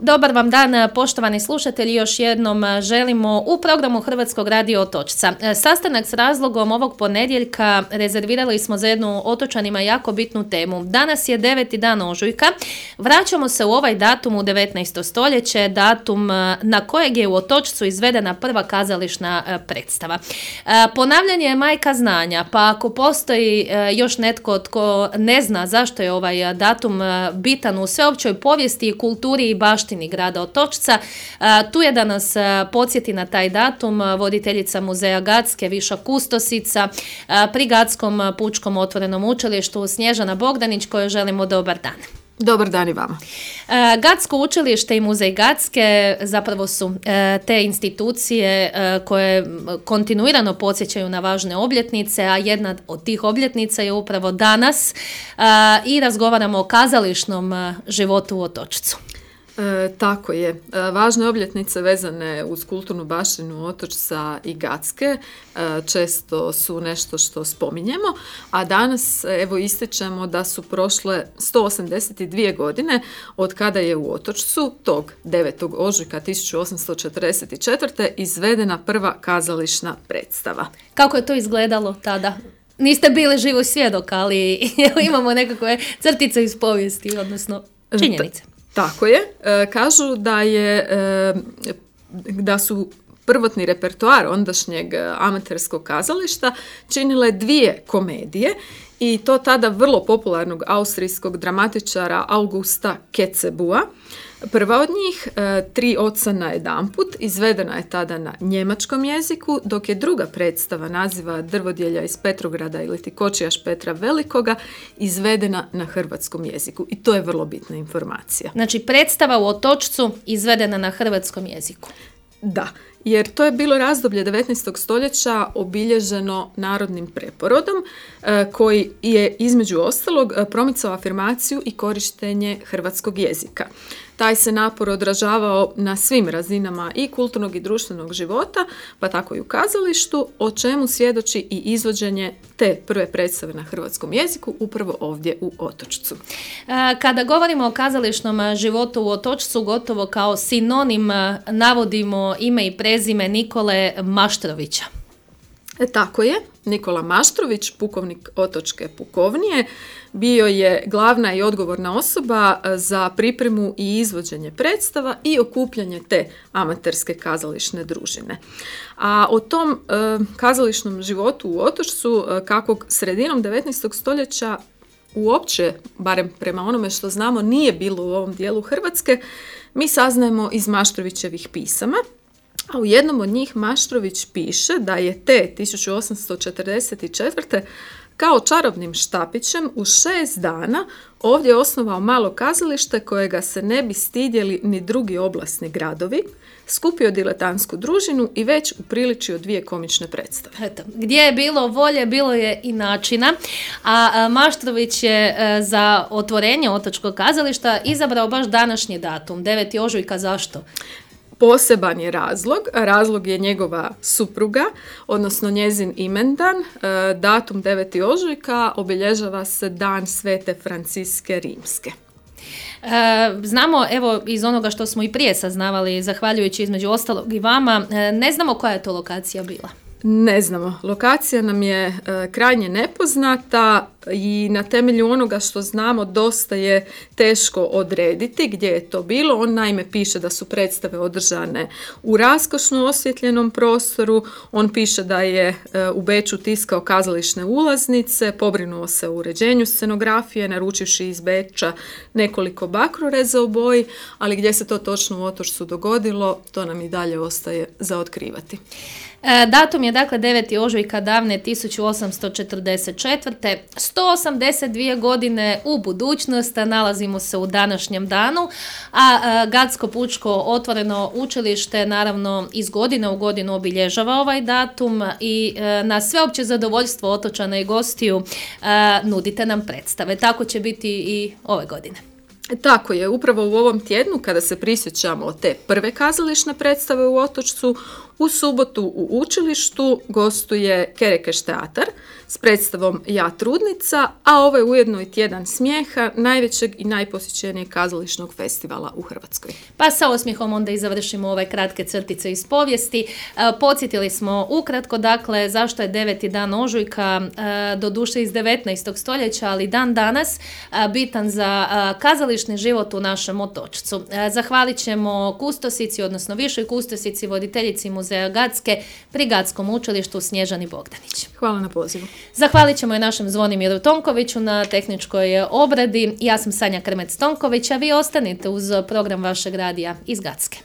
Dobar vam dan, poštovani slušatelji, još jednom želimo u programu Hrvatskog radio Otočca. Sastanak s razlogom ovog ponedjeljka rezervirali smo za jednu otočanima jako bitnu temu. Danas je 9. dan ožujka, vraćamo se u ovaj datum u 19. stoljeće, datum na kojeg je u Otočcu izvedena prva kazališna predstava. Ponavljanje je majka znanja, pa ako postoji još netko tko ne zna zašto je ovaj datum bitan u sveopćoj povijesti i kulturi i baštini grada Otočca, tu je da nas podsjeti na taj datum voditeljica muzeja Gacke, viša kustosica pri Gatskom pučkom otvorenom učilištu Snježana Bogdanić, kojoj želimo dobar dan. Dobar dan i vama. Gatsko učilište i muzej Gacke zapravo su te institucije koje kontinuirano podsjećaju na važne obljetnice, a jedna od tih obljetnica je upravo danas i razgovaramo o kazališnom životu u Otočcu. Tako je. Važne obljetnice vezane uz kulturnu baštinu Otočca i Gacke često su nešto što spominjemo, a danas evo ističemo da su prošle 182 godine od kada je u Otočcu tog 9. ožujka 1844. izvedena prva kazališna predstava. Kako je to izgledalo tada? Niste bili živi svjedok, ali imamo nekakve crtice iz povijesti, odnosno činjenice. Tako je. Kažu da su prvotni repertoar ondašnjeg amaterskog kazališta činile dvije komedije i to tada vrlo popularnog austrijskog dramatičara Augusta Kecebua. Prva od njih, Tri oca najedanput, izvedena je tada na njemačkom jeziku, dok je druga predstava naziva Drvodjelja iz Petrograda ili ti Kočijaš Petra Velikoga izvedena na hrvatskom jeziku. I to je vrlo bitna informacija. Znači predstava u Otočcu izvedena na hrvatskom jeziku. Da, jer to je bilo razdoblje 19. stoljeća obilježeno narodnim preporodom koji je između ostalog promicao afirmaciju i korištenje hrvatskog jezika. Taj se napor odražavao na svim razinama i kulturnog i društvenog života, pa tako i u kazalištu, o čemu svjedoči i izvođenje te prve predstave na hrvatskom jeziku upravo ovdje u Otočcu. Kada govorimo o kazališnom životu u Otočcu, gotovo kao sinonim navodimo ime i prezime Nikole Maštrovića. Tako je. Nikola Maštrović, pukovnik Otočke pukovnije, bio je glavna i odgovorna osoba za pripremu i izvođenje predstava i okupljanje te amaterske kazališne družine. A o tom kazališnom životu u Otočcu, kakvog sredinom 19. stoljeća uopće, barem prema onome što znamo, nije bilo u ovom dijelu Hrvatske, mi saznajemo iz Maštrovićevih pisama. A u jednom od njih Maštrović piše da je te 1844. kao čarobnim štapićem u 6 dana ovdje osnovao malo kazalište kojega se ne bi stidjeli ni drugi oblasni gradovi, skupio diletantsku družinu i već upriličio 2 komične predstave. Eto, gdje je bilo volje, bilo je i načina, a Maštrović je za otvorenje Otočkog kazališta izabrao baš današnji datum, 9. ožujka. Zašto? Poseban je razlog je njegova supruga, odnosno njezin imendan. Datum 9. ožujka obilježava se dan Svete Franciske Rimske. Znamo, evo, iz onoga što smo i prije saznavali, zahvaljujući između ostalog i vama, ne znamo koja je to lokacija bila. Ne znamo. Lokacija nam je krajnje nepoznata i na temelju onoga što znamo dosta je teško odrediti gdje je to bilo. On naime piše da su predstave održane u raskošno osvjetljenom prostoru. On piše da je u Beču tiskao kazališne ulaznice, pobrinuo se o uređenju scenografije, naručivši iz Beča nekoliko bakroreza u boji, ali gdje se to točno u Otočcu dogodilo, to nam i dalje ostaje za otkrivati. Datum je dakle 9. ožujka davne 1844. 182 godine u budućnost, nalazimo se u današnjem danu, a Gatsko pučko otvoreno učilište naravno iz godine u godinu obilježava ovaj datum i na sveopće zadovoljstvo otočana i gostiju nudite nam predstave. Tako će biti i ove godine. Tako je, upravo u ovom tjednu kada se prisjećamo te prve kazališne predstave u Otočcu, u subotu u učilištu gostuje Kerekeš teatar s predstavom Ja trudnica, a ovo je ujedno i tjedan smijeha, najvećeg i najposjećenijeg kazališnog festivala u Hrvatskoj. Pa sa osmijehom onda i završimo ove kratke crtice iz povijesti. Podsjetili smo ukratko, dakle, zašto je 9. dan ožujka, doduše iz 19. stoljeća, ali dan danas bitan za kazališni život u našem Otočcu. Zahvalit ćemo kustosici, odnosno višoj kustosici, voditeljici Muzeja Gacke pri Gatskom učilištu Snježani Bogdanić. Hvala na pozivu. Zahvalit ćemo i našem Zvonimiru Tonkoviću na tehničkoj obradi. Ja sam Sanja Krmec-Tonković, a vi ostanite uz program vašeg radija iz Gacke.